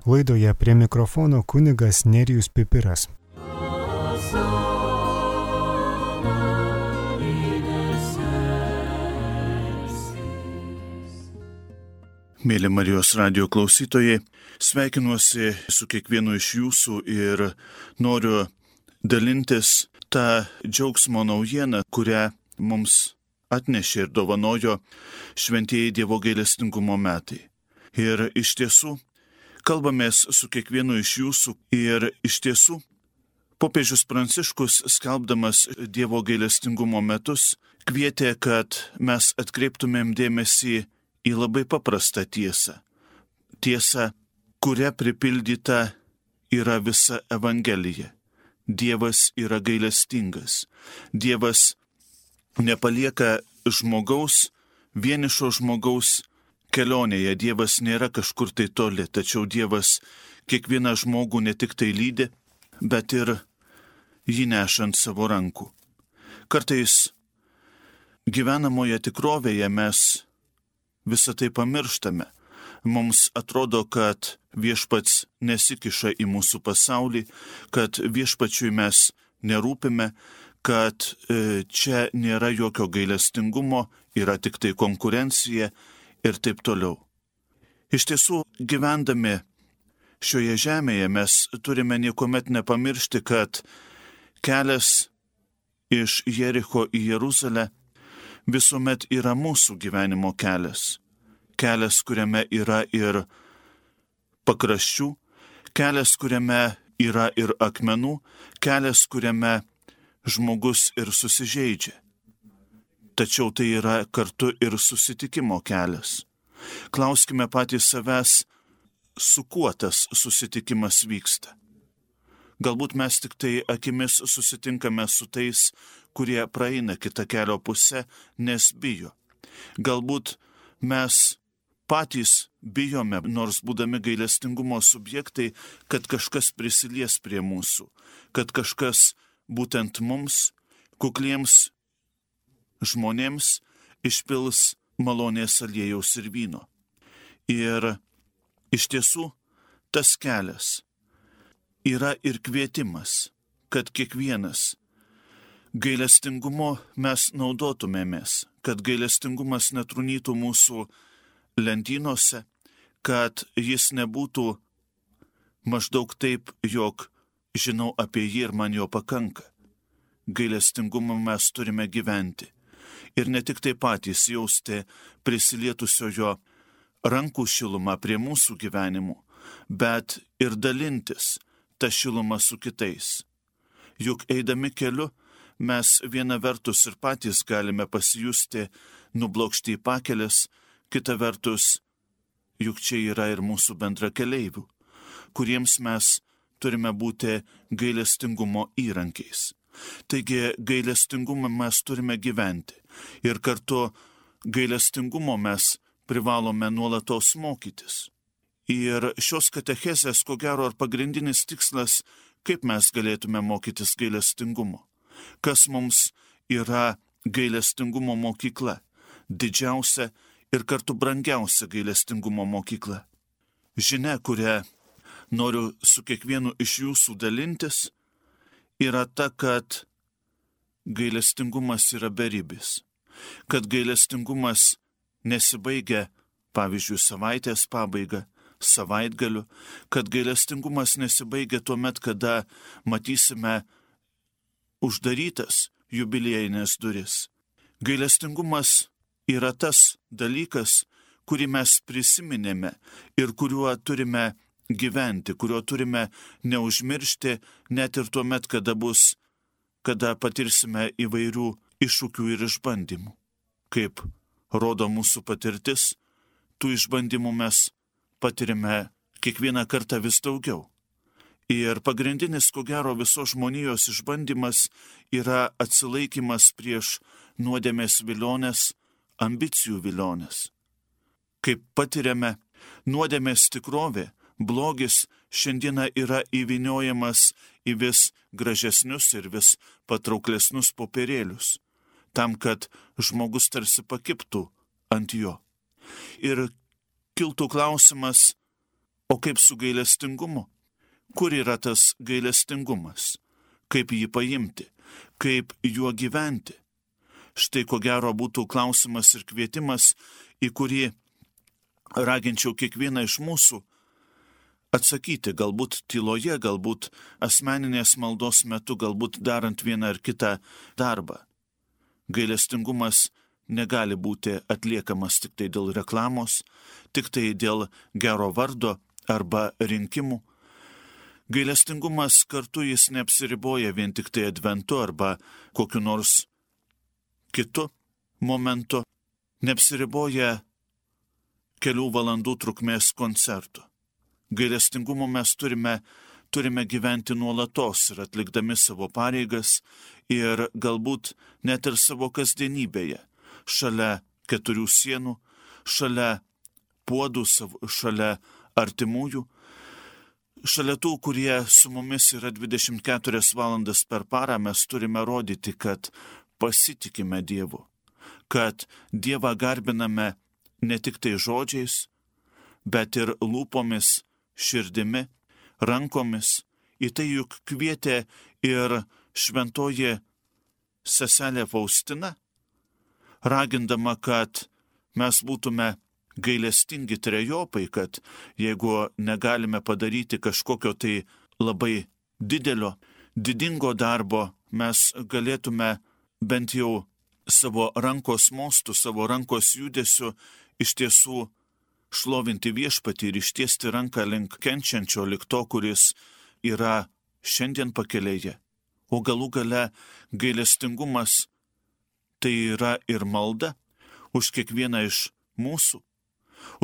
Laidoje prie mikrofono kunigas Nerijus Pipiras. Mėly Marijos radijo klausytojai, sveikinuosi su kiekvienu iš jūsų ir noriu dalintis tą džiaugsmo naujieną, kurią mums atnešė ir dovanojo šventieji Dievo gailestingumo metai. Ir iš tiesų, kalbamės su kiekvienu iš jūsų ir iš tiesų, popiežius Pranciškus, skelbdamas Dievo gailestingumo metus, kvietė, kad mes atkreiptumėm dėmesį į labai paprastą tiesą. Tiesą, kuria pripildyta yra visa Evangelija. Dievas yra gailestingas. Dievas nepalieka žmogaus, vienišo žmogaus kelionėje. Dievas nėra kažkur tai toli, tačiau Dievas kiekvieną žmogų ne tik tai lydi, bet ir jį nešant savo rankų. Kartais gyvenamoje tikrovėje mes visą tai pamirštame. Mums atrodo, kad viešpats nesikiša į mūsų pasaulį, kad viešpačiui mes nerūpime, kad čia nėra jokio gailestingumo, yra tik tai konkurencija ir taip toliau. Iš tiesų, gyvendami šioje žemėje mes turime niekuomet nepamiršti, kad kelias iš Jericho į Jeruzalę visuomet yra mūsų gyvenimo kelias. Kelias, kuriame yra ir pakraščių, kelias, kuriame yra ir akmenų, kelias, kuriame žmogus ir susižeidžia. Tačiau tai yra kartu ir susitikimo kelias. Klauskime patys savęs, su kuo tas susitikimas vyksta. Galbūt mes tik tai akimis susitinkame su tais, kurie praeina kitą kelio pusę, nes bijo. Galbūt mes patys bijome, nors būdami gailestingumo subjektai, kad kažkas prisilies prie mūsų, kad kažkas būtent mums, kukliems žmonėms, išpils malonės aliejaus ir vyno. Ir iš tiesų tas kelias yra ir kvietimas, kad kiekvienas gailestingumo mes naudotumėmės, kad gailestingumas netrūnytų mūsų lentynose, kad jis nebūtų maždaug taip, jog žinau apie jį ir man jo pakanka. Gailestingumu mes turime gyventi ir ne tik tai patys jausti prisilietusiojo rankų šilumą prie mūsų gyvenimų, bet ir dalintis tą šilumą su kitais. Juk eidami keliu mes viena vertus ir patys galime pasijusti nublokšti į pakelės, kita vertus, juk čia yra ir mūsų bendrakeleivių, kuriems mes turime būti gailestingumo įrankiais. Taigi gailestingumą mes turime gyventi ir kartu gailestingumo mes privalome nuolatos mokytis. Ir šios katechezės, ko gero, ar pagrindinis tikslas, kaip mes galėtume mokytis gailestingumo. Kas mums yra gailestingumo mokykla, didžiausia ir kartu brangiausia gailestingumo mokykla. Žinia, kurią noriu su kiekvienu iš jūsų dalintis, yra ta, kad gailestingumas yra beribis. Kad gailestingumas nesibaigia, pavyzdžiui, savaitės pabaiga, savaitgaliu, kad gailestingumas nesibaigia tuomet, kada matysime uždarytas jubiliejinės duris. Gailestingumas yra tas dalykas, kurį mes prisiminėme ir kuriuo turime gyventi, kuriuo turime neužmiršti net ir tuomet, kada patirsime įvairių iššūkių ir išbandymų. Kaip rodo mūsų patirtis, tų išbandymų mes patirime kiekvieną kartą vis daugiau. Ir pagrindinis, ko gero, visos žmonijos išbandymas yra atsilaikymas prieš nuodėmės vilionės, ambicijų vilionės. Kaip patiriame, nuodėmės tikrovė, blogis šiandieną yra įvyniojamas į vis gražesnius ir vis patrauklesnius popierėlius, tam, kad žmogus tarsi pakibtų ant jo. Ir kiltų klausimas, O kaip su gailestingumu? Kur yra tas gailestingumas? Kaip jį paimti? Kaip juo gyventi? Štai ko gero būtų klausimas ir kvietimas, į kurį raginčiau kiekvieną iš mūsų atsakyti, galbūt tyloje, galbūt asmeninės maldos metu, galbūt darant vieną ar kitą darbą. Gailestingumas negali būti atliekamas tik tai dėl reklamos, tik tai dėl gero vardo arba rinkimų. Gailestingumas kartu jis neapsiriboja vien tik tai adventu arba kokiu nors kitu momentu, neapsiriboja kelių valandų trukmės koncertų. Gailestingumu mes turime gyventi nuolatos ir atlikdami savo pareigas ir galbūt net ir savo kasdienybėje, šalia keturių sienų, šalia puodų, šalia artimųjų, šalia tų, kurie su mumis yra 24 valandas per parą, mes turime rodyti, kad pasitikime Dievu, kad Dievą garbiname ne tik tai žodžiais, bet ir lūpomis, širdimi, rankomis. Į tai juk kvietė ir šventoji seselė Faustina, ragindama, kad mes būtume gailestingi trejopai, kad jeigu negalime padaryti kažkokio tai labai didingo darbo, mes galėtume bent jau savo rankos mostų, savo rankos judesiu iš tiesų šlovinti viešpatį ir ištiesti ranką link kenčiančio, link to, kuris yra šiandien pakelėje. O galų gale gailestingumas tai yra ir malda už kiekvieną iš mūsų,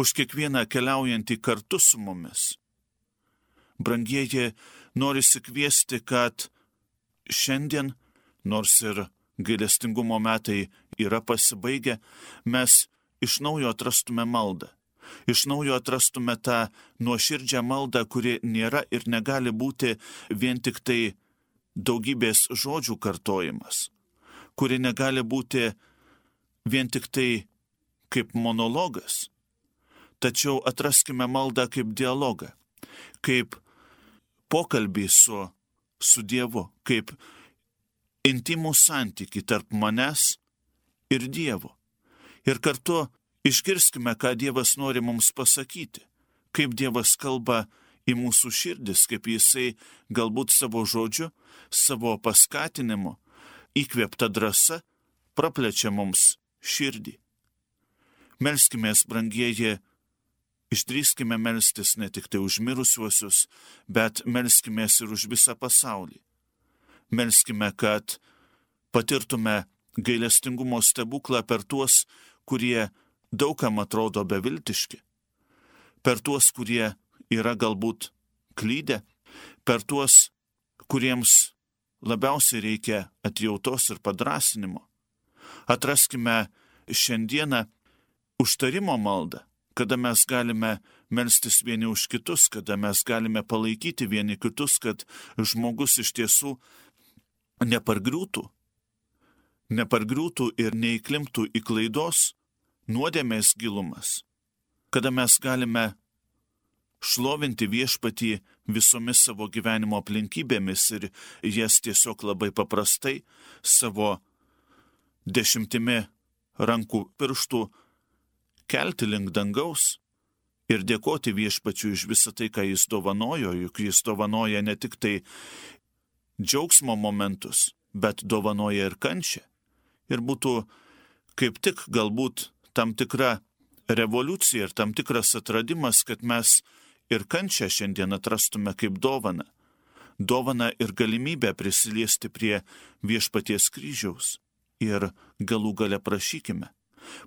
už kiekvieną keliaujantį kartu su mumis. Brangieji, norisi kviesti, kad šiandien, nors ir gailestingumo metai yra pasibaigę, mes iš naujo atrastume maldą. Iš naujo atrastume tą nuoširdžią maldą, kuri nėra ir negali būti vien tik tai daugybės žodžių kartojimas, kuri negali būti vien tik tai kaip monologas. Tačiau atraskime maldą kaip dialogą, kaip pokalbį su Dievu, kaip intimų santykį tarp manęs ir Dievo. Ir kartu išgirskime, ką Dievas nori mums pasakyti, kaip Dievas kalba į mūsų širdis, kaip Jisai galbūt savo žodžiu, savo paskatinimu, įkvėpta drąsa praplečia mums širdį. Melskimės, brangieji, išdrįskime melstis ne tik tai už mirusiuosius, bet melskimės ir už visą pasaulį. Melskime, kad patirtume gailestingumo stebuklą per tuos, kurie daugam atrodo beviltiški, per tuos, kurie yra galbūt klydę, per tuos, kuriems labiausiai reikia atjautos ir padrąsinimo. Atraskime šiandieną užtarimo maldą, kada mes galime melstis vieni už kitus, kada mes galime palaikyti vieni kitus, kad žmogus iš tiesų nepargriūtų ir neįklimptų į klaidos, nuodėmės gilumas, kada mes galime šlovinti viešpatį visomis savo gyvenimo aplinkybėmis ir jas tiesiog labai paprastai savo 10 rankų pirštų kelti link dangaus ir dėkoti viešpačiui už visą tai, ką jis dovanojo, juk jis dovanoja ne tik tai džiaugsmo momentus, bet dovanoja ir kančią. Ir būtų kaip tik galbūt tam tikra revoliucija ir tam tikras atradimas, kad mes ir kančią šiandien atrastume kaip dovaną. Dovaną ir galimybę prisiliesti prie viešpaties kryžiaus. Ir galų gale prašykime.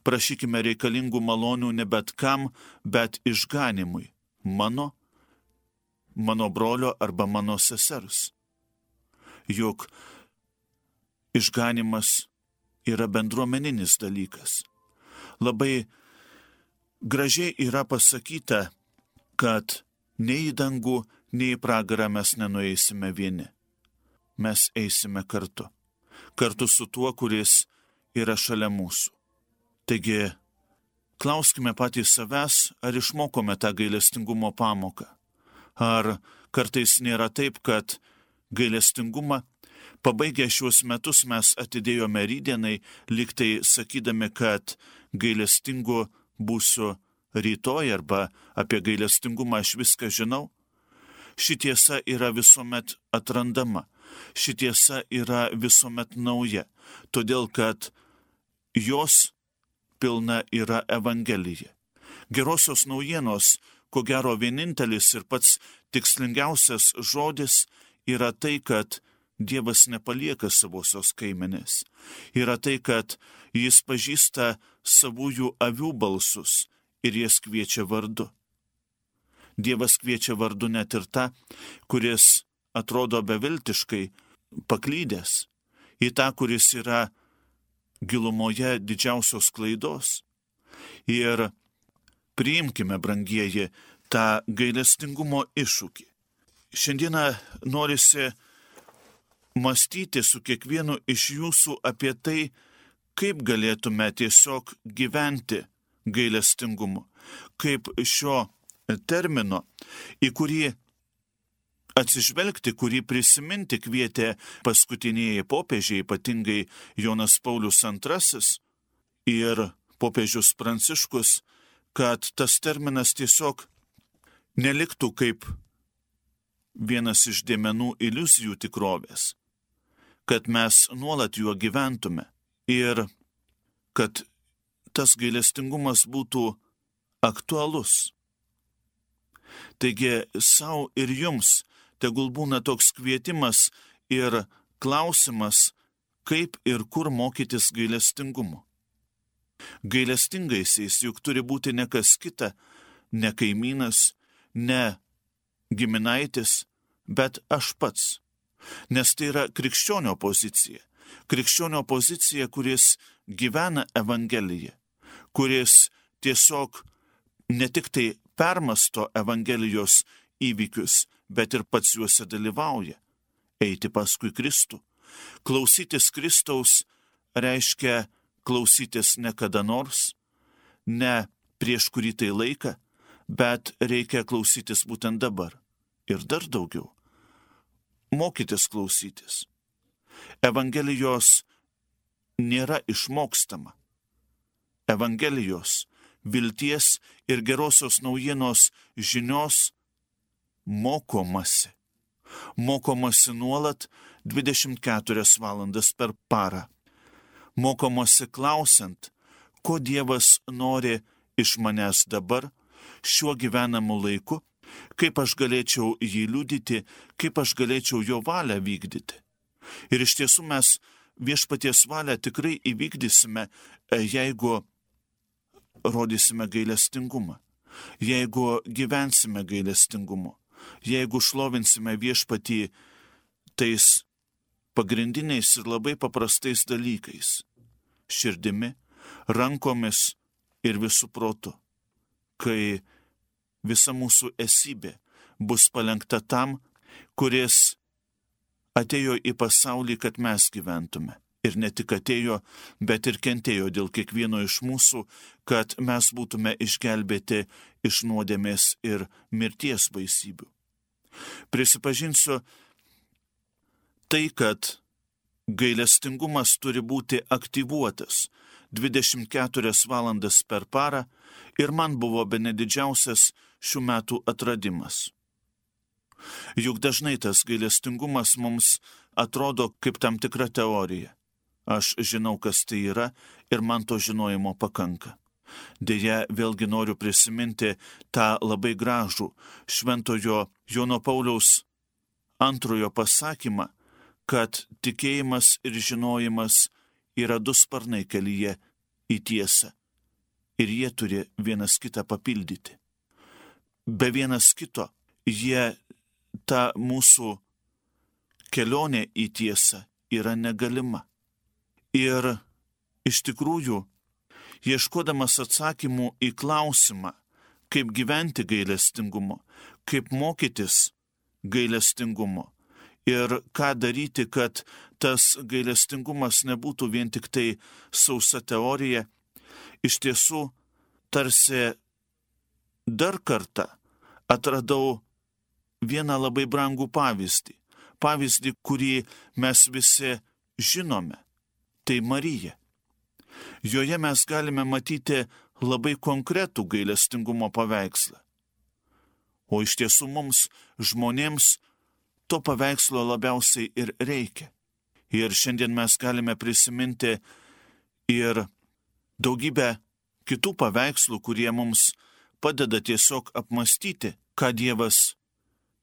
Prašykime reikalingų malonių ne bet kam, bet išganimui. Mano brolio arba mano sesers. Juk išganimas yra bendruomeninis dalykas. Labai gražiai yra pasakyta, kad nei į dangų, nei į pragarą mes nenueisime vieni. Mes eisime kartu. Kartu su tuo, kuris yra šalia mūsų. Taigi, Klauskime patys savęs, ar išmokome tą gailestingumo pamoką. Ar kartais nėra taip, kad gailestingumą pabaigę šiuos metus mes atidėjome rytdienai, lyg tai sakydami, kad gailestingu būsiu rytoj arba apie gailestingumą aš viską žinau. Ši tiesa yra visuomet atrandama, ši tiesa yra visuomet nauja, todėl kad jos pilna yra Evangelija. Gerosios naujienos, ko gero vienintelis ir pats tikslingiausias žodis yra tai, kad Dievas nepalieka savosios kaimenės. Yra tai, kad jis pažįsta savųjų avių balsus ir jas kviečia vardu. Dievas kviečia vardu net ir tą, kuris atrodo beviltiškai paklydęs, į tą, kuris yra gilumoje didžiausios klaidos. Ir priimkime, brangieji, tą gailestingumo iššūkį. Šiandieną norisi mąstyti su kiekvienu iš jūsų apie tai, kaip galėtume tiesiog gyventi gailestingumu, kaip šio termino, į kurį atsižvelgti, kurį prisiminti kvietė paskutinieji popiežiai, ypatingai Jonas Paulius II ir popiežius Pranciškus, kad tas terminas tiesiog neliktų kaip vienas iš dėmenų iliuzijų tikrovės, kad mes nuolat juo gyventume ir kad tas gailestingumas būtų aktualus. Taigi savo ir jums tegul būna toks kvietimas ir klausimas, kaip ir kur mokytis gailestingumo. Gailestingaisiais juk turi būti ne kas kita, ne kaimynas, ne giminaitis, bet aš pats. Nes tai yra krikščionio pozicija. Krikščionio pozicija, kuris gyvena Evangeliją, kuris tiesiog ne tik tai permasto Evangelijos įvykius, bet ir pats juose dalyvauja. Eiti paskui Kristų. Klausytis Kristaus reiškia klausytis ne kada nors, ne prieš kurį tai laiką, bet reikia klausytis būtent dabar. Ir dar daugiau. Mokytis klausytis. Evangelijos nėra išmokstama. Evangelijos, vilties ir gerosios naujienos žinios mokomasi. Mokomasi nuolat 24 valandas per parą. Mokomasi klausiant, ko Dievas nori iš manęs dabar, šiuo gyvenamu laiku, kaip aš galėčiau jį liudyti, kaip aš galėčiau jo valią vykdyti. Ir iš tiesų mes viešpaties valią tikrai įvykdysime, jeigu rodysime gailestingumą, jeigu gyvensime gailestingumu, jeigu šlovinsime viešpatį tais pagrindiniais ir labai paprastais dalykais - širdimi, rankomis ir visų protu, kai visa mūsų esybė bus palenkta tam, kuris atėjo į pasaulį, kad mes gyventume. Ir ne tik atėjo, bet ir kentėjo dėl kiekvieno iš mūsų, kad mes būtume išgelbėti iš nuodėmės ir mirties baisybių. Prisipažinsiu tai, kad gailestingumas turi būti aktyvuotas 24 valandas per parą ir man buvo bene didžiausias šių metų atradimas. Juk dažnai tas gailestingumas mums atrodo kaip tam tikra teorija. Aš žinau, kas tai yra ir man to žinojimo pakanka. Deja, vėlgi noriu prisiminti tą labai gražų šventojo Jono Pauliaus II pasakymą, kad tikėjimas ir žinojimas yra du sparnai kelyje į tiesą ir jie turi vienas kitą papildyti. Be vienas kito jie ta mūsų kelionė į tiesą yra negalima. Ir iš tikrųjų, ieškodamas atsakymų į klausimą, kaip gyventi gailestingumo, kaip mokytis gailestingumo ir ką daryti, kad tas gailestingumas nebūtų vien tik tai sausa teorija, iš tiesų tarsi dar kartą atradau vieną labai brangų pavyzdį. Pavyzdį, kurį mes visi žinome. Tai Marija. Joje mes galime matyti labai konkretų gailestingumo paveikslą. O iš tiesų mums, žmonėms, to paveikslo labiausiai ir reikia. Ir šiandien mes galime prisiminti ir daugybę kitų paveikslų, kurie mums padeda tiesiog apmastyti, ką Dievas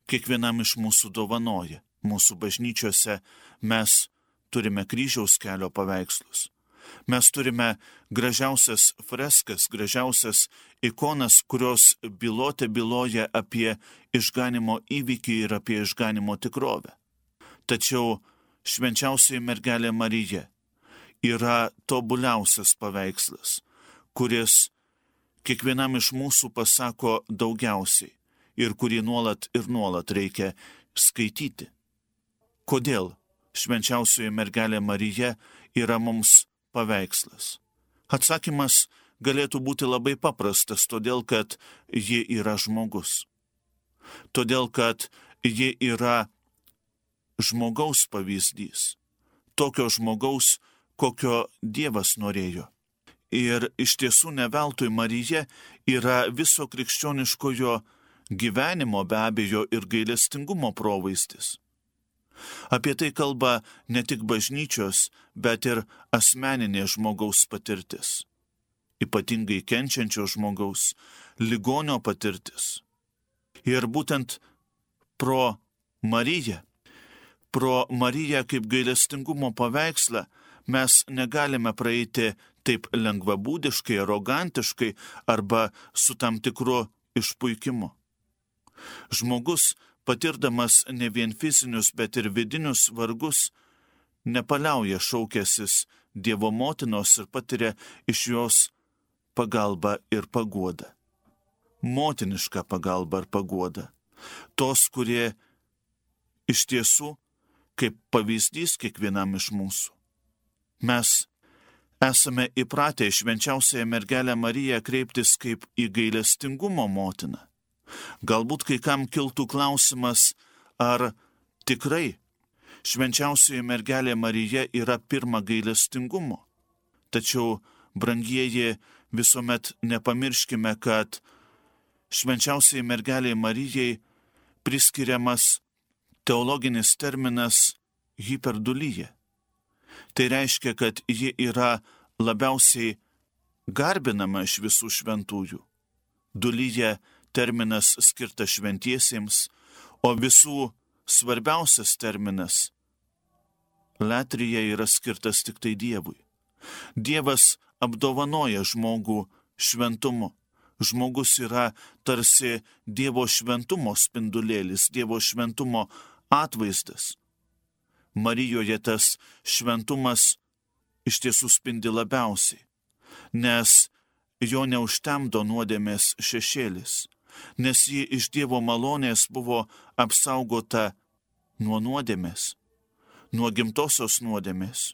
kiekvienam iš mūsų dovanoja. Mūsų bažnyčiose mes turime kryžiaus kelio paveikslus. Mes turime gražiausias freskas, gražiausias ikonas, kurios byloja apie išganimo įvykį ir apie išganimo tikrovę. Tačiau švenčiausioji mergelė Marija yra tobuliausias paveikslas, kuris kiekvienam iš mūsų pasako daugiausiai ir kurį nuolat ir nuolat reikia skaityti. Kodėl švenčiausioji mergelė Marija yra mums paveikslas? Atsakymas galėtų būti labai paprastas, todėl kad ji yra žmogus. Todėl kad ji yra žmogaus pavyzdys. Tokio žmogaus, kokio Dievas norėjo. Ir iš tiesų ne veltui Marija yra viso krikščioniškojo gyvenimo, be abejo, ir gailestingumo provaizdis. Apie tai kalba ne tik bažnyčios, bet ir asmeninė žmogaus patirtis. Ypatingai kenčiančio žmogaus, ligonio patirtis. Ir būtent pro Mariją kaip gailestingumo paveikslą mes negalime praeiti taip lengvabūdiškai, arogantiškai arba su tam tikru išpuikimu. Žmogus, patirdamas ne vien fizinius, bet ir vidinius vargus, nepaliauja šaukęsis Dievo motinos ir patiria iš jos pagalbą ir paguodą. Motinišką pagalbą ir paguodą. Tos, kurie iš tiesų kaip pavyzdys kiekvienam iš mūsų. Mes esame įpratę į švenčiausiąją mergelę Mariją kreiptis kaip į gailestingumo motiną. Galbūt kai kam kiltų klausimas, ar tikrai švenčiausioji mergelė Marija yra pirma gailestingumo. Tačiau, brangieji, visuomet nepamirškime, kad švenčiausiai mergelė Marijai priskiriamas teologinis terminas hiperdulyje. Tai reiškia, kad ji yra labiausiai garbinama iš visų šventųjų. Dulyje terminas skirtas šventiesiems, o visų svarbiausias terminas latrija yra skirtas tik tai Dievui. Dievas apdovanoja žmogų šventumu. Žmogus yra tarsi Dievo šventumo spindulėlis, Dievo šventumo atvaizdas. Marijoje tas šventumas iš tiesų spindi labiausiai, nes jo neužtemdo nuodėmės šešėlis, nes ji iš Dievo malonės buvo apsaugota nuo nuodėmės, nuo gimtosios nuodėmės.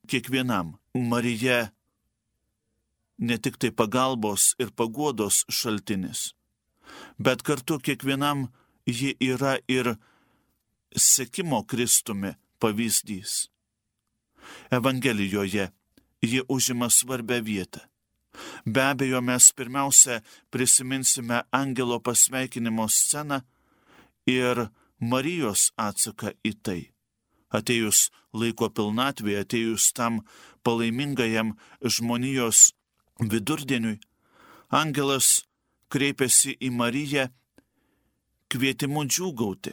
Kiekvienam Marija ne tik tai pagalbos ir paguodos šaltinis, bet kartu kiekvienam ji yra ir sekimo Kristumi pavyzdys. Evangelijoje ji užima svarbią vietą. Be abejo, mes pirmiausia prisiminsime angelo pasveikinimo sceną ir Marijos atsaką į tai. Atėjus laiko pilnatvėje, atėjus tam palaimingajam žmonijos vidurdieniui, angelas kreipėsi į Mariją kvietimu džiūgauti.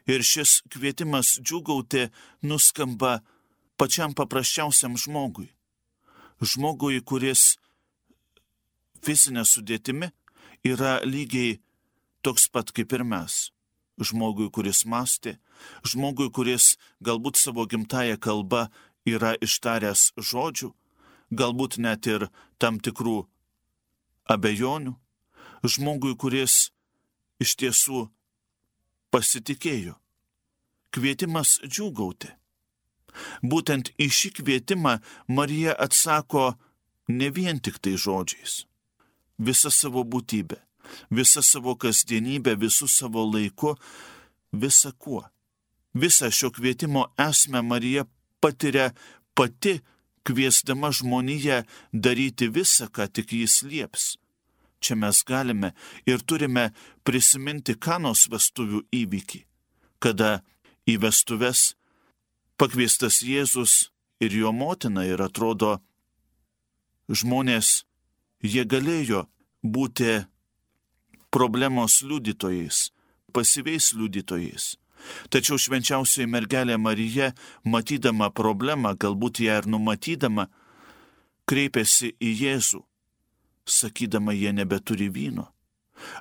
Ir šis kvietimas džiūgauti nuskamba pačiam paprasčiausiam žmogui. Žmogui, kuris fizinė sudėtimi yra lygiai toks pat kaip ir mes. Žmogui, kuris mąstė, žmogui, kuris galbūt savo gimtąją kalbą yra ištaręs žodžių, galbūt net ir tam tikrų abejonių, žmogui, kuris iš tiesų pasitikėjo. Kvietimas džiūgauti. Būtent į šį kvietimą Marija atsako ne vien tik tai žodžiais, visą savo būtybę, visą savo kasdienybę, visų savo laiku, visą kuo. Visą šio kvietimo esmę Marija patiria pati, kviesdama žmoniją daryti visą, ką tik jis lieps. Čia mes galime ir turime prisiminti Kanos vestuvių įvykį, kada į vestuves pakviestas Jėzus ir jo motina, ir atrodo, žmonės, jie galėjo būti problemos liudytojais, pasyviais liudytojais. Tačiau švenčiausioji mergelė Marija, matydama problemą, galbūt ją ir numatydama, kreipėsi į Jėzų, sakydama, jie nebeturi vyno.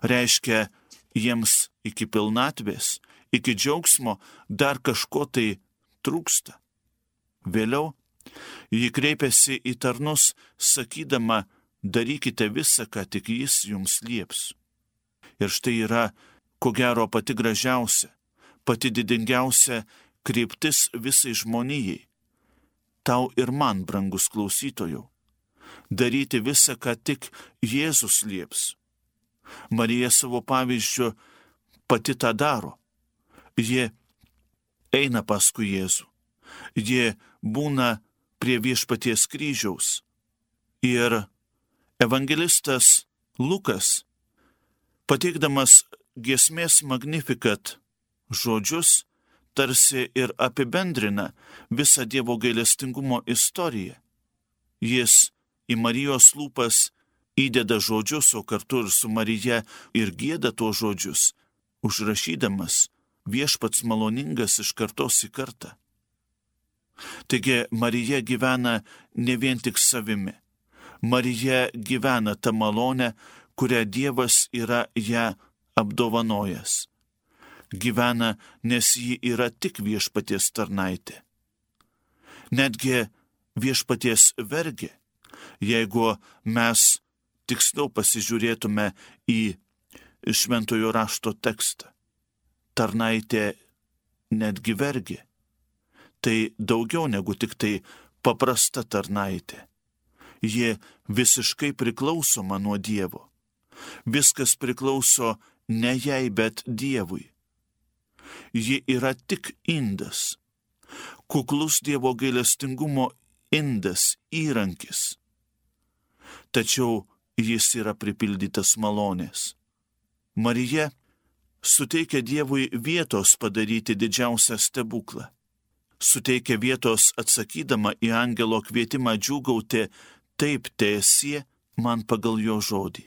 Reiškia, jiems iki pilnatvės, iki džiaugsmo dar kažko tai trūksta. Vėliau ji kreipėsi į tarnus, sakydama, darykite visą, ką tik jis jums lieps. Ir štai yra, ko gero, pati gražiausia, pati didingiausia kryptis visai žmonijai. Tau ir man, brangus klausytojau, daryti visą, ką tik Jėzus lieps. Marija savo pavyzdžiu pati tą daro. Ji eina paskui Jėzų. Ji būna prie viešpaties kryžiaus. Ir evangelistas Lukas, pateikdamas giesmės Magnificat žodžius, tarsi ir apibendrina visą Dievo gailestingumo istoriją. Jis į Marijos lūpas įdeda žodžius, o kartu ir su Marija ir gieda tuos žodžius, užrašydamas viešpats maloningas iš kartos į kartą. Taigi Marija gyvena ne vien tik savimi. Marija gyvena tą malonę, kurią Dievas yra ją apdovanojęs. Gyvena, nes ji yra tik viešpaties tarnaitė. Netgi viešpaties vergė, jeigu mes tiksliau pasižiūrėtume į šventojo rašto tekstą. Tarnaitė netgi vergė. Tai daugiau negu tik tai paprasta tarnaitė. Ji visiškai priklausoma nuo Dievo. Viskas priklauso ne jai, bet Dievui. Ji yra tik indas, kuklus Dievo gailestingumo indas, įrankis. Tačiau jis yra pripildytas malonės. Marija suteikia Dievui vietos padaryti didžiausią stebuklą. Suteikia vietos atsakydama į angelo kvietimą džiūgauti, taip teesie man pagal jo žodį,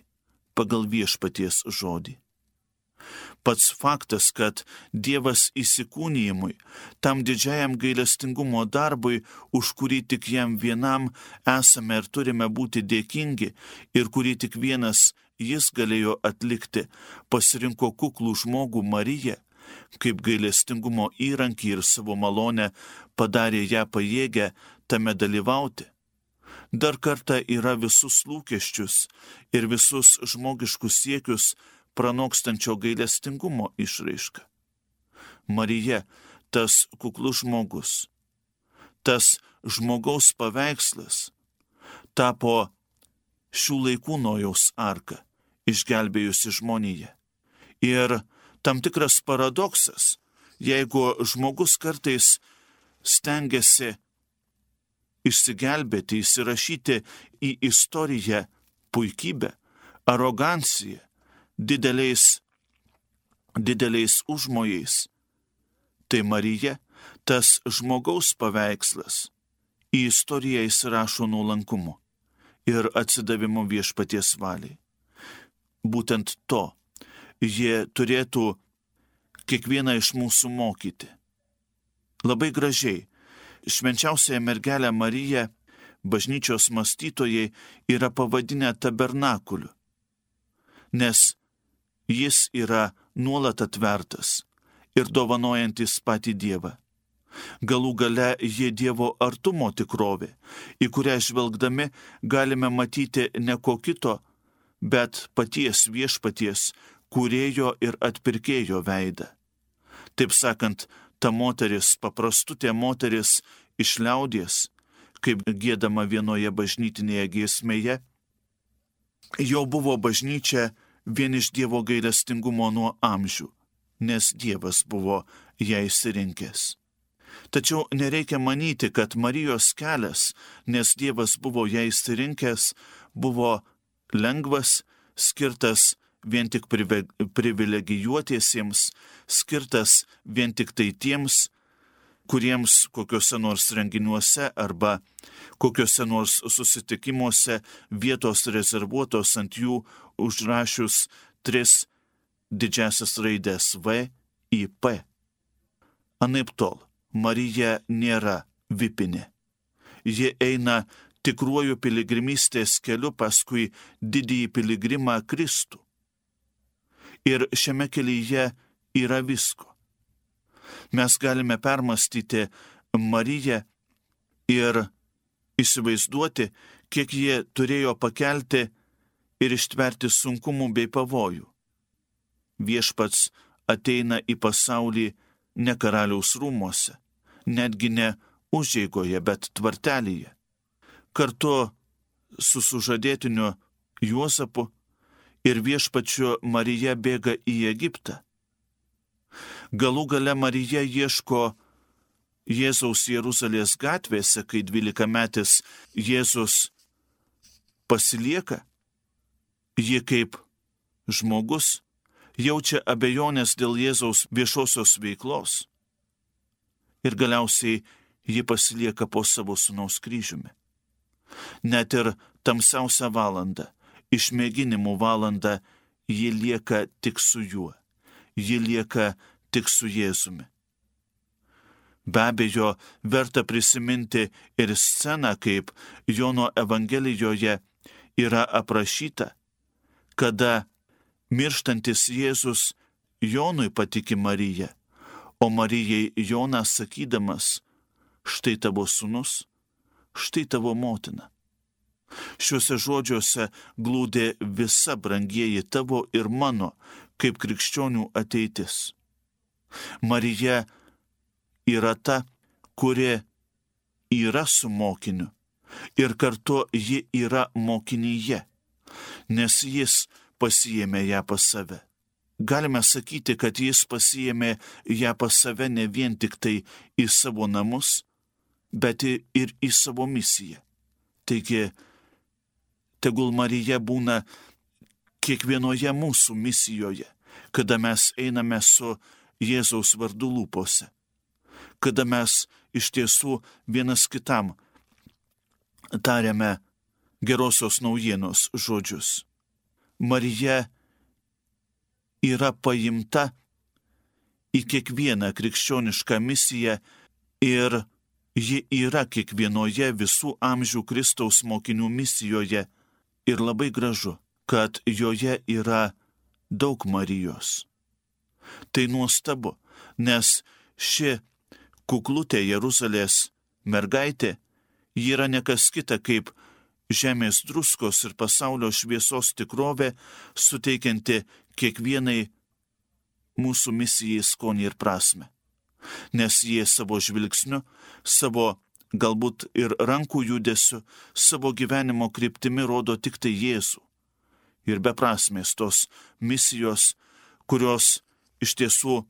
pagal viešpaties žodį. Pats faktas, kad Dievas įsikūnijimui, tam didžiajam gailestingumo darbui, už kurį tik jam vienam esame ir turime būti dėkingi ir kurį tik vienas jis galėjo atlikti, pasirinko kuklų žmogų Mariją, kaip gailestingumo įrankį ir savo malonę padarė ją pajėgę tame dalyvauti. Dar kartą yra visus lūkesčius ir visus žmogiškus siekius pranokstančio gailestingumo išraiška. Marija, tas kuklus žmogus, tas žmogaus paveikslas, tapo šių laikų Nojaus arka, išgelbėjusi žmoniją. Ir tam tikras paradoksas, jeigu žmogus kartais stengiasi išsigelbėti, įsirašyti į istoriją puikybę, aroganciją, dideliais užmojais, tai Marija, tas žmogaus paveikslas, į istoriją įsirašo nuolankumu ir atsidavimu viešpaties valiai. Būtent to jie turėtų kiekvieną iš mūsų mokyti. Labai gražiai, švenčiausiąją mergelę Mariją bažnyčios mąstytojai yra pavadinę tabernakuliu, nes jis yra nuolat atvertas ir dovanojantis patį Dievą. Galų gale jie Dievo artumo tikrovė, į kurią žvelgdami galime matyti ne ko kito, bet paties viešpaties, kūrėjo ir atpirkėjo veidą. Taip sakant, ta moteris, paprastutė moteris iš liaudies, kaip giedama vienoje bažnytinėje giesmėje, jau buvo bažnyčia vien iš Dievo gailestingumo nuo amžių, nes Dievas buvo ją išsirinkęs. Tačiau nereikia manyti, kad Marijos kelias, nes Dievas buvo ją išsirinkęs, buvo lengvas, skirtas vien tik privilegijuotiesiems, skirtas vien tik tai tiems, kuriems kokiuose nors renginiuose arba kokiuose nors susitikimuose vietos rezervuotos ant jų užrašius 3 didžiasias raides V, I, P. Anaiptol, Marija nėra vipinė. Ji eina tikruoju piligrimystės keliu paskui didįjį piligrimą Kristų. Ir šiame kelyje yra visko. Mes galime permastyti Mariją ir įsivaizduoti, kiek jie turėjo pakelti ir ištverti sunkumų bei pavojų. Viešpats ateina į pasaulį ne karaliaus rūmuose, netgi ne užeigoje, bet tvartelyje. Kartu su sužadėtiniu Juozapu ir viešpačiu Marija bėga į Egiptą. Galų gale Marija ieško Jėzaus Jeruzalės gatvėse, kai 12-metis Jėzus pasilieka. Ji kaip žmogus jaučia abejonės dėl Jėzaus viešosios veiklos. Ir galiausiai ji pasilieka po savo sūnaus kryžiumi. Net ir tamsiausią valandą, išmėginimų valandą, ji lieka tik su juo. Ji lieka tik su Jėzumi. Be abejo, verta prisiminti ir sceną, kaip Jono Evangelijoje yra aprašyta, kada mirštantis Jėzus Jonui patiki Mariją, o Marijai Jonas sakydamas, štai tavo sūnus, štai tavo motina. Šiuose žodžiuose glūdė visa, brangieji, tavo ir mano, kaip krikščionių ateitis. Marija yra ta, kuri yra su mokiniu ir kartu ji yra mokinyje, nes jis pasiėmė ją pas save. Galime sakyti, kad jis pasiėmė ją pas save ne vien tik tai į savo namus, bet ir į savo misiją. Taigi, tegul Marija būna kiekvienoje mūsų misijoje, kada mes einame su Jėzaus vardu lūpose, kada mes iš tiesų vienas kitam tariame gerosios naujienos žodžius. Marija yra paimta į kiekvieną krikščionišką misiją ir ji yra kiekvienoje visų amžių Kristaus mokinių misijoje ir labai gražu, kad joje yra daug Marijos. Tai nuostabu, nes ši kuklutė Jeruzalės mergaitė yra nekas kita kaip žemės druskos ir pasaulio šviesos tikrovė, suteikianti kiekvienai mūsų misijai skonį ir prasme. Nes jie savo žvilgsniu, savo galbūt ir rankų judesiu, savo gyvenimo kryptimi rodo tik tai Jėzų. Ir beprasmės tos misijos, kurios iš tiesų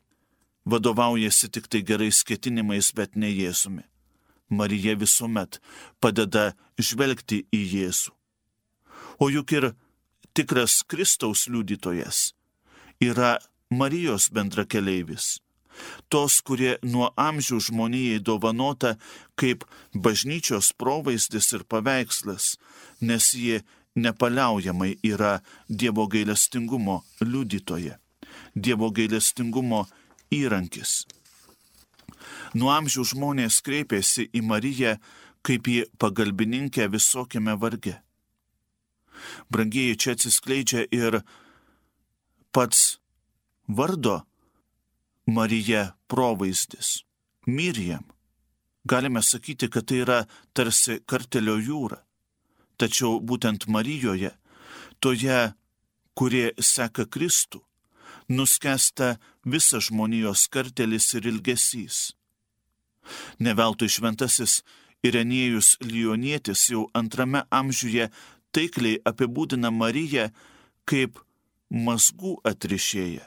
vadovaujasi tik tai gerais ketinimais, bet ne Jėzumi. Marija visuomet padeda žvelgti į Jėzų. O juk ir tikras Kristaus liudytojas yra Marijos bendrakeleivis. Tos, kurie nuo amžių žmonijai dovanota kaip bažnyčios provaizdis ir paveikslas, nes ji nepaliaujamai yra Dievo gailestingumo liudytoja, Dievo gailestingumo įrankis. Nuo amžių žmonės kreipėsi į Mariją kaip į pagalbininkę visokiame varge. Brangieji, čia atsiskleidžia ir pats vardo Marija provaizdis. Mirjam. Galime sakyti, kad tai yra tarsi kartelio jūra. Tačiau būtent Marijoje, toje, kurie seka Kristų, nuskęsta visas žmonijos kartelis ir ilgesys. Ne veltui šventasis Irenėjus Lionietis jau 2 amžiuje taikliai apibūdina Mariją kaip mazgų atrišėja,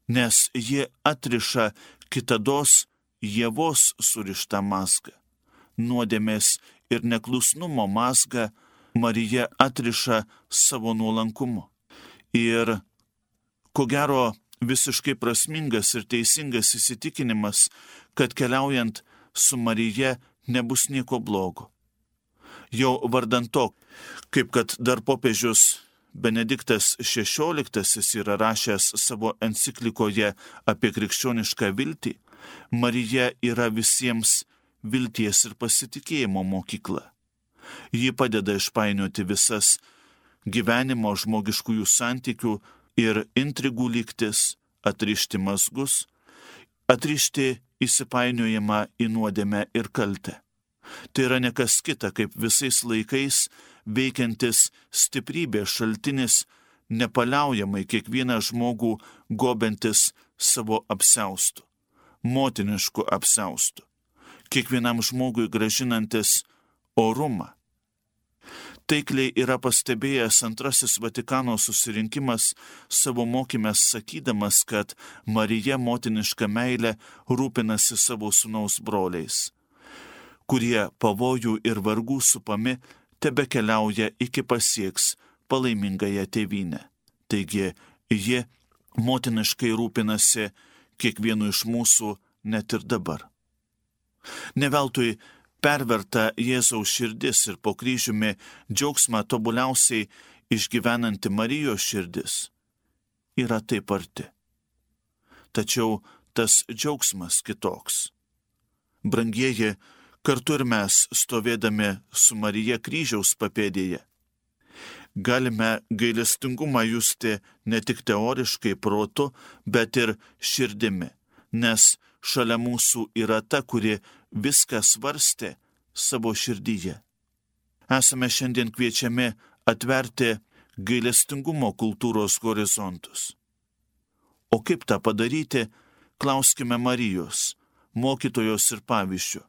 nes ji atriša kitados Ievos surištą mazgą. Nuodėmės ir neklusnumo mazgą Marija atriša savo nuolankumu. Ir ko gero visiškai prasmingas ir teisingas įsitikinimas, kad keliaujant su Marija nebus nieko blogo. Jau vardant to, kaip kad dar popiežius Benediktas XVI yra rašęs savo enciklikoje apie krikščionišką viltį, Marija yra visiems vilties ir pasitikėjimo mokykla. Ji padeda išpainioti visas gyvenimo žmogiškųjų santykių ir intrigų lygtis, atrišti mazgus, atrišti įsipainiojimą į nuodėmę ir kaltę. Tai yra ne kas kita, kaip visais laikais veikiantis stiprybės šaltinis, nepaliaujamai kiekvieną žmogų gobentis savo apsiaustu, motinišku apsiaustu, kiekvienam žmogui gražinantis orumą. Taikliai yra pastebėjęs Antrasis Vatikano susirinkimas savo mokyme sakydamas, kad Marija motiniška meilė rūpinasi savo sūnaus broliais, kurie pavojų ir vargų supami tebekeliauja iki pasieks palaimingąją tėvynę. Taigi, ji motiniškai rūpinasi kiekvienu iš mūsų net ir dabar. Ne veltui perverta Jėzaus širdis ir po kryžiumi džiaugsmą tobuliausiai išgyvenanti Marijos širdis yra taip arti. Tačiau tas džiaugsmas kitoks. Brangieji, kartu ir mes, stovėdami su Marija kryžiaus papėdėje, galime gailestingumą justi ne tik teoriškai protu, bet ir širdimi, nes šalia mūsų yra ta, kuri viską svarstė savo širdyje. Esame šiandien kviečiami atverti gailestingumo kultūros horizontus. O kaip tą padaryti, klauskime Marijos, mokytojos ir pavyzdžių.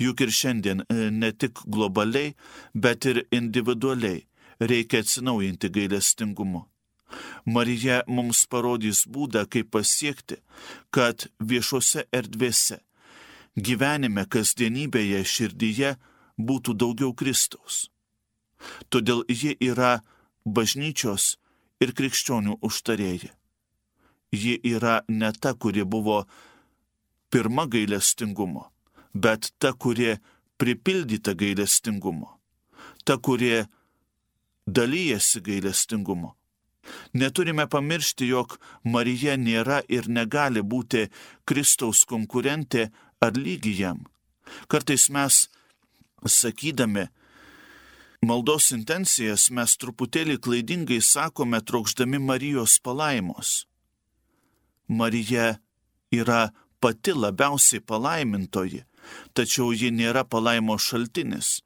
Juk ir šiandien ne tik globaliai, bet ir individualiai reikia atsinaujinti gailestingumu. Marija mums parodys būdą, kaip pasiekti, kad viešose erdvėse, gyvenime, kasdienybėje, širdyje būtų daugiau Kristaus. Todėl ji yra bažnyčios ir krikščionių užtarėja. Ji yra ne ta, kuri buvo pirma gailestingumo, bet ta, kuri pripildyta gailestingumo, ta, kuri dalyjasi gailestingumo. Neturime pamiršti, jog Marija nėra ir negali būti Kristaus konkurentė ar lygi jam. Kartais mes, sakydami maldos intencijas, mes truputėlį klaidingai sakome, trokšdami Marijos palaimos. Marija yra pati labiausiai palaimintoji, tačiau ji nėra palaimos šaltinis.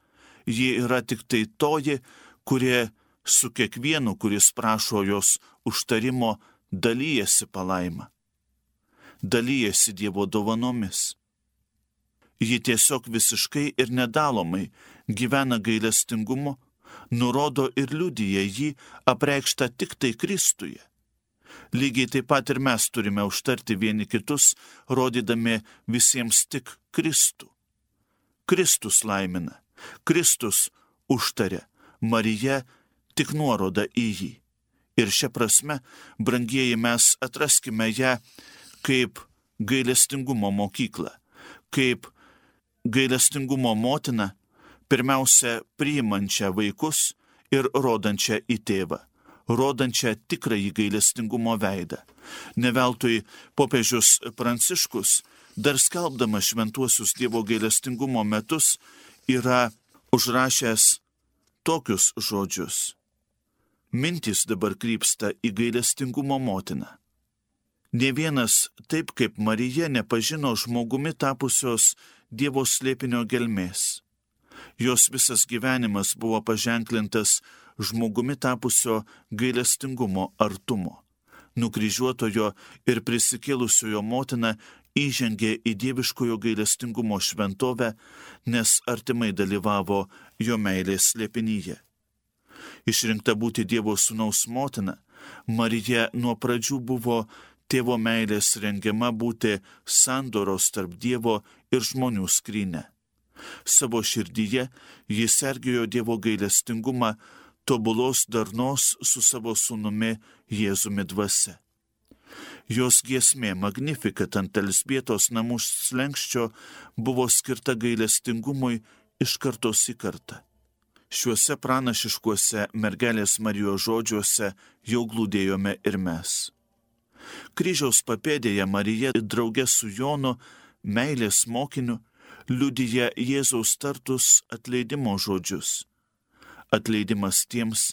Ji yra tik tai toji, kurie su kiekvienu, kuris prašo jos užtarimo, dalyjasi palaimą, dalyjasi Dievo dovanomis. Ji tiesiog visiškai ir nedalomai gyvena gailestingumu, nurodo ir liudija jį apreikštą tik tai Kristuje. Lygiai taip pat ir mes turime užtarti vieni kitus, rodydami visiems tik Kristų. Kristus laimina, Kristus užtaria, Marija tik nuoroda į jį. Ir šia prasme, brangieji, mes atraskime ją kaip gailestingumo mokyklą, kaip gailestingumo motiną, pirmiausia priimančią vaikus ir rodančią į tėvą, rodančią tikrąjį gailestingumo veidą. Ne veltui popiežius Pranciškus, dar skelbdamas šventuosius Dievo gailestingumo metus, yra užrašęs tokius žodžius. Mintys dabar krypsta į gailestingumo motiną. Nė vienas, taip kaip Marija, nepažino žmogumi tapusios Dievo slėpinio gelmės. Jos visas gyvenimas buvo paženklintas žmogumi tapusio gailestingumo artumo. Nukryžiuotojo ir prisikėlusiojo motina įžengė į dieviškojo gailestingumo šventovę, nes artimai dalyvavo jo meilės slėpinyje. Išrinkta būti Dievo sūnaus motina, Marija nuo pradžių buvo tėvo meilės rengiama būti sandoros tarp Dievo ir žmonių skryne. Savo širdyje jis sergėjo Dievo gailestingumą, tobulos darnos su savo sūnumi Jėzumi dvasia. Jos giesmė Magnificat ant Elzbietos namų slenkščio buvo skirta gailestingumui iš kartos į kartą. Šiuose pranašiškuose mergelės Marijos žodžiuose jau glūdėjome ir mes. Kryžiaus papėdėje Marija drauge su Jonu, meilės mokiniu, liudija Jėzaus tartus atleidimo žodžius. Atleidimas tiems,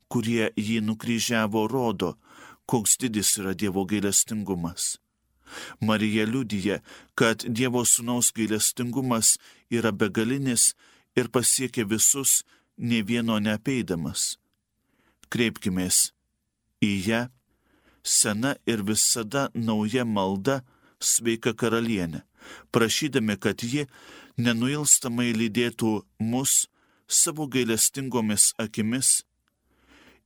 kurie jį nukryžiavo, rodo, koks didis yra Dievo gailestingumas. Marija liudija, kad Dievo sūnaus gailestingumas yra begalinis ir pasiekia visus, nė vieno neapeidamas. Kreipkimės į ją, sena ir visada nauja malda, sveika karalienė, prašydami, kad ji nenuilstamai lydėtų mus savo gailestingomis akimis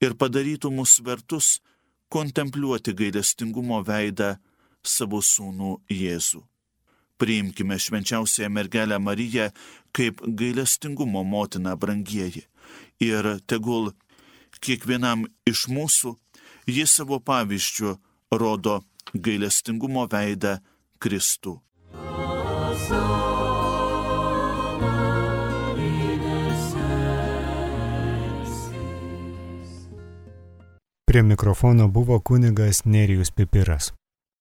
ir padarytų mus vertus kontempliuoti gailestingumo veidą savo sūnų Jėzų. Priimkime švenčiausiąją mergelę Mariją kaip gailestingumo motiną, brangieji, ir tegul kiekvienam iš mūsų ji savo pavyzdžiu rodo gailestingumo veidą Kristų. Prie mikrofono buvo kunigas Nerijus Pipiras.